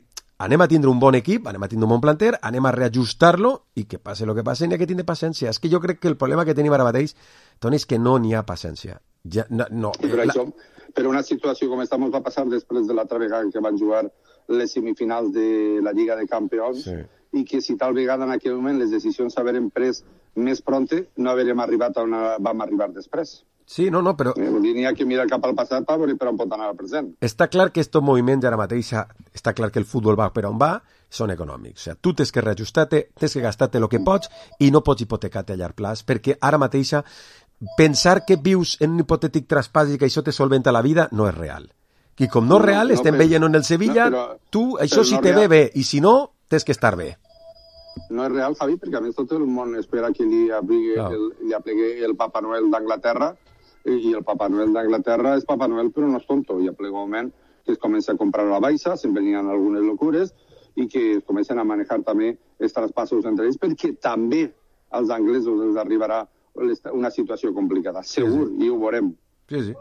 anem a tindre un bon equip, anem a tindre un bon planter, anem a reajustar-lo i que passe el que passe, n'hi ha que tindre paciència. És que jo crec que el problema que tenim ara mateix, Toni, és que no n'hi ha paciència. Ja, no, no. Sí, però, la... això, però una situació com esta ens va passar després de l'altra vegada que van jugar les semifinals de la Lliga de Campions, sí. I que si tal vegada en aquell moment les decisions s'hagueren pres més pronte, no haguérem arribat on vam arribar després. Sí, no, no, però... Eh, n'hi ha que mirar cap al passat per veure per on pot anar al present. Està clar que estos moviments ara mateix, està clar que el futbol va per on va, són econòmics. O sigui, tu tens que reajustar-te, tens que gastar-te el que pots i no pots hipotecar-te a llarg plaç, perquè ara mateix pensar que vius en un hipotètic traspàs i que això te solventa la vida no és real. I com no és real, no, no, estem veient en el Sevilla, no, però, tu, això si no te ve bé, i si no, tens que estar bé. No és real, Javi, perquè a més tot el món espera que li aplegui no. el, li aplegui el Papa Noel d'Anglaterra, i el Papa Noel d'Anglaterra és Papa Noel però no és tonto, i a ple moment que es comença a comprar a la baixa, sempre n'hi ha algunes locures i que es comencen a manejar també els traspassos entre ells, perquè també als anglesos els arribarà una situació complicada, segur, sí, sí. I ho veurem. Sí, sí.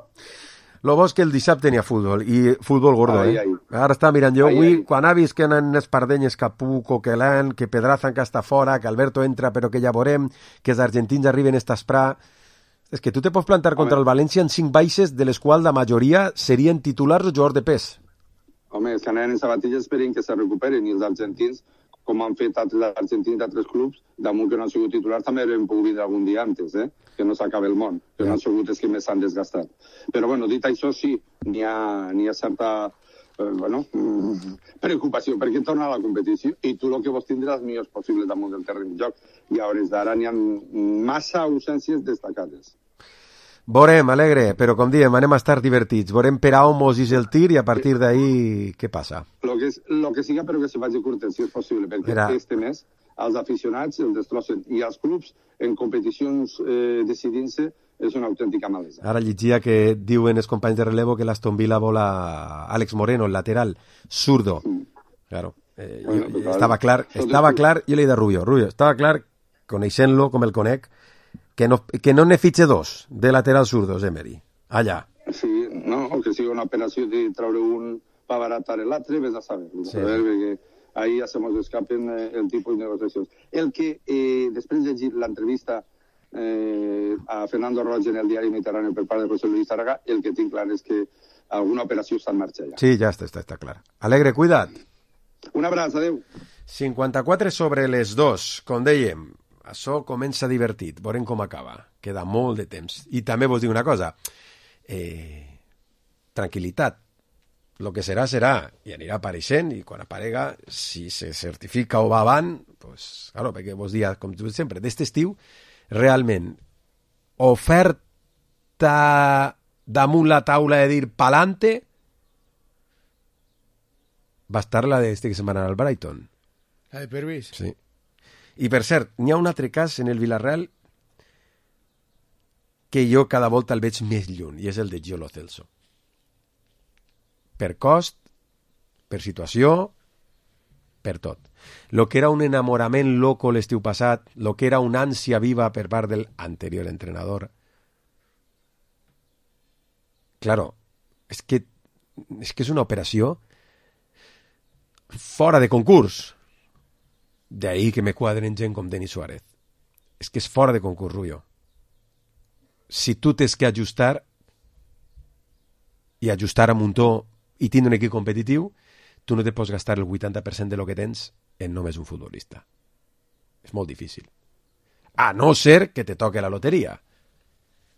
Lo bo és que el dissabte n'hi ha futbol, i futbol gordo, ai, eh? Ai. Ara està mirant jo, ai, avui, ai. Quan ha vist que en Espardenyes, Capú, Coquelán, que Pedraza encara està fora, que Alberto entra però que ja veurem, que els argentins arriben a estar. És que tu te pots plantar contra Home. el València en cinc baixes, de les quals la majoria serien titulars o jugadors de pes. Home, els que anaven en sabatilles esperen que se recuperen, i els argentins, com han fet altres argentins d'altres clubs, damunt que no han sigut titulars, també haurem pogut vindre algun dia antes, eh? Que no s'acabe el món, que ja. No han sigut els que més s'han desgastat. Però, bueno, dit això, sí, n'hi ha, n'hi ha certa eh, bueno, preocupació, perquè torna a la competició i tu el que vols tindre els millors possibles damunt del terreny de joc. I a hores d'ara n'hi ha massa ausències destacades. Veurem, Alegre, però com diem, anem a estar divertits. Veurem per a on mos és el tir i a partir d'ahí què passa. Lo que, és, lo que siga, però que se faci curtet, si és possible, perquè Era... este mes els aficionats el destrossen i els clubs en competicions eh, decidint-se és una autèntica malesa. Ara llegia que diuen els companys de relevo que l'Aston Villa vol a Àlex Moreno, el lateral, zurdo. Mm. Claro, eh, bueno, jo, estava clar, estava clar, jo li he dit a Rubio, Rubio, estava clar, coneixent-lo com el conec, que no, que no ne fitxe dos de lateral zurdos, Emery, allà. Sí, no, o que sigui una operació de treure un per abaratar l'altre, ves a saber. Sí. A veure, perquè ahí ja se nos escapen eh, el tipus de negociacions. El que, eh, després de llegir l'entrevista eh, a Fernando Roig en el diari Mediterrani per part de José Luis Tarraga, el que tinc clar és que alguna operació està en marxa ja. Sí, ja està, està, està clar. Alegre, cuida't. Un abraç, adeu. cinquanta-quatre sobre les dos, com dèiem. Això comença divertit, veurem com acaba. Queda molt de temps. I també vos dic una cosa. Eh, tranquil·litat. El que serà, serà. I anirà apareixent, i quan aparega, si se certifica o va avant, pues, claro, perquè vos dia, com tu sempre, d'este estiu, realment, oferta damunt la taula de dir pa'lante, va estar la d'este que se'n va anar al Brighton. La de Pervis? Sí. I per cert, n'hi ha un altre cas en el Villarreal que jo cada volta el veig més lluny, i és el de Gio Lo Celso. Per cost, per situació, per tot. Lo que era un enamorament loco l'estiu passat, lo que era una ànsia viva per part del anterior entrenador. Claro, és que, és que és una operació fora de concurs. D'ahí que me quadren gent com Denis Suárez. És que és fora de concurs, Rubio. Si tu tens que ajustar i ajustar a muntó i tindre un equip competitiu, tu no te pots gastar el vuitanta per cent de lo que tens en només un futbolista. És molt difícil. A no ser que te toque la loteria.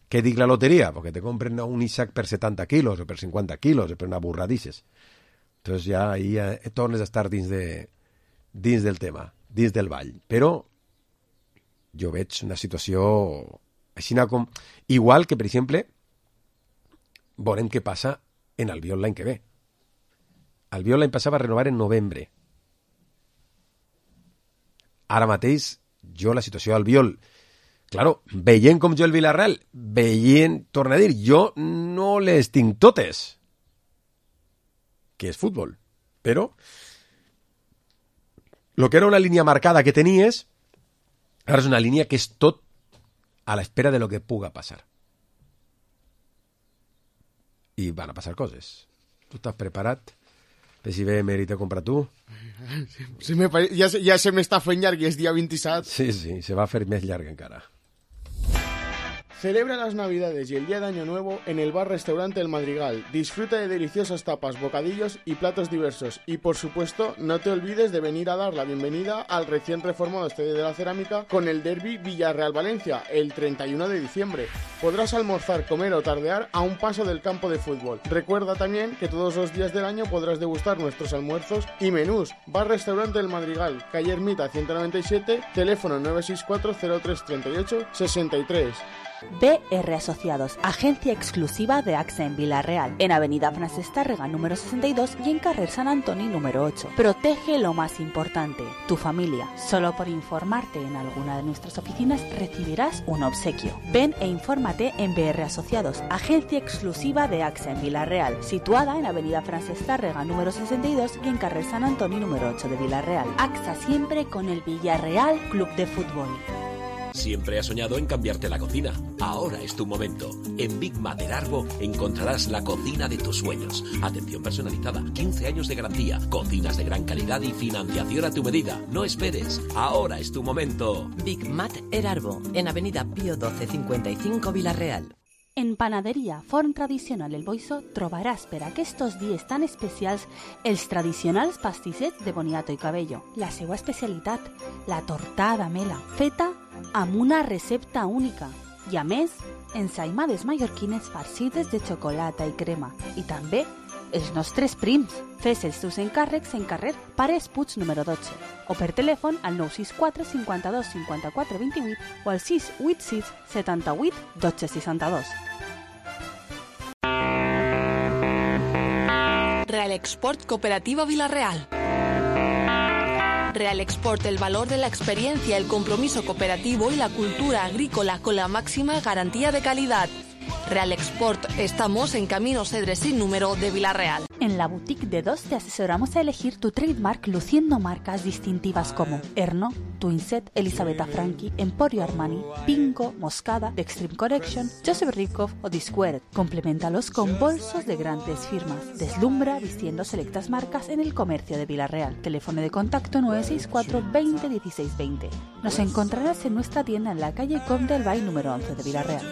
Què dic la loteria? Perquè te compren un Isaac per setanta quilos o per cinquanta quilos o per una burradisses. Entonces ja ahí eh, tornes a estar dins, de, dins del tema, dins del ball. Però jo veig una situació així com... Igual que, per exemple, veurem què passa en Albiol l'any que ve. Albiol l'any passat va renovar en novembre. Ara mateix, jo la situació d'Albiol, claro, veient com jo el Villarreal, veient, torna a dir, jo no les tinc totes, que és futbol, però el que era una línia marcada que tenies, ara és una línia que és tot a l'espera de lo que puga passar. I van a passar coses. Tu estàs preparat? Per si ve mèrit a comprar tu? Sí, me pare... ja, ja se m'està fent llarg i és dia vint-i-set. Sí, sí, se va a fer més llarg encara. Celebra las Navidades y el Día de Año Nuevo en el bar-restaurante El Madrigal. Disfruta de deliciosas tapas, bocadillos y platos diversos. Y por supuesto, no te olvides de venir a dar la bienvenida al recién reformado Estadio de la Cerámica con el derbi Villarreal-Valencia el treinta y uno de diciembre. Podrás almorzar, comer o tardear a un paso del campo de fútbol. Recuerda también que todos los días del año podrás degustar nuestros almuerzos y menús. Bar-restaurante El Madrigal, calle Ermita ciento noventa y siete, teléfono nueve seis cuatro cero tres tres ocho seis tres. B R Asociados, agencia exclusiva de AXA en Villarreal, en Avenida Francesc Tárrega número sesenta y dos y en Carrer San Antoni número ocho. Protege lo más importante, tu familia. Solo por informarte en alguna de nuestras oficinas recibirás un obsequio. Ven e infórmate en B R Asociados, agencia exclusiva de AXA en Villarreal, situada en Avenida Francesc Tárrega número sesenta y dos y en Carrer San Antoni número ocho de Villarreal. AXA siempre con el Villarreal Club de Fútbol. Siempre has soñado en cambiarte la cocina. Ahora es tu momento. En Big Mater Arbo encontrarás la cocina de tus sueños. Atención personalizada, quince años de garantía, cocinas de gran calidad y financiación a tu medida. No esperes. Ahora es tu momento. Big Mater Arbo, en Avenida Pío doce cincuenta y cinco Villarreal. En Panaderia Forn Tradicional El Boiso trobaràs per aquests dies tan especials els tradicionals pastissets de boniato i cabello. La seva especialitat, la tortada mela, feta amb una recepta única. I a més, ensaïmades mallorquines farcides de xocolata i crema. I també els nostres prims. Fes els teus encàrrecs en carrer Pares Puig número dotze o per telèfon al nou sis quatre cinquanta-dos cinquanta-quatre vint-i-vuit o al sis vuit sis setanta-vuit dotze seixanta-dos. Real Export Cooperativa Villarreal. Real Export, el valor de la experiencia, el compromiso cooperativo y la cultura agrícola con la máxima garantía de calidad. Real Export, estamos en Camino Cedres sin número de Villarreal. En la boutique de dos te asesoramos a elegir tu trademark luciendo marcas distintivas como Erno, Twinset, Elisabetta Franchi, Emporio Armani, Pingo, Moscada, The Extreme Collection, Joseph Rikov o Disquared. Compleméntalos con bolsos de grandes firmas. Deslumbra vistiendo selectas marcas en el comercio de Villarreal. Teléfono de contacto nueve seis cuatro veinte dieciséis veinte. Nos encontrarás en nuestra tienda en la calle Comte del Valle número once de Villarreal.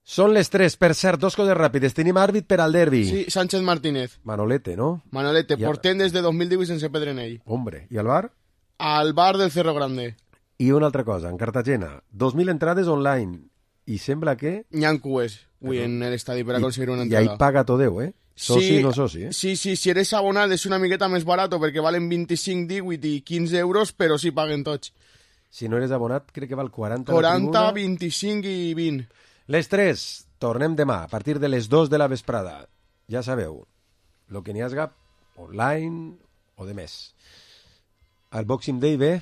Són les tres, per cert, dos coses ràpides. Tenim àrbit per al derbi. Sí, Sánchez Martínez. Manolete, ¿no? Manolete, I a- portem des de dos mil divuit sense perdre en ell. Hombre, i al bar? Al bar del Cerro Grande. I una altra cosa, en Cartagena, dos mil entrades online. I sembla que... N'hi ha cues, avui, en l'estadi per I- aconseguir una I entrada. ahí paga Todeu, eh? Soci, no soci, eh? Sí, sí, si eres abonat és una miqueta més barato perquè valen vint-i-cinc, divuit i quinze euros, però sí paguen tots. Si no eres abonat, crec que val quaranta. quaranta, vint-i-cinc i vint. Les tres, tornem demà, a partir de les dos de la vesprada. Ja sabeu, lo que n'hi hagi online o de més. El Boxing Day bé?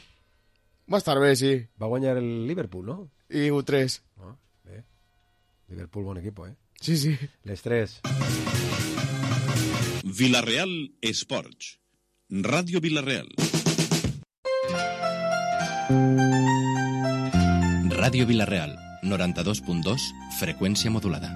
Va estar bé, sí. Va guanyar el Liverpool, no? I u tres. Ah, bé. Liverpool, bon equip, eh? Sí, sí. Les tres. Villarreal Esports. Ràdio Villarreal. Ràdio Villarreal, noranta-dos punt dos, freqüència modulada.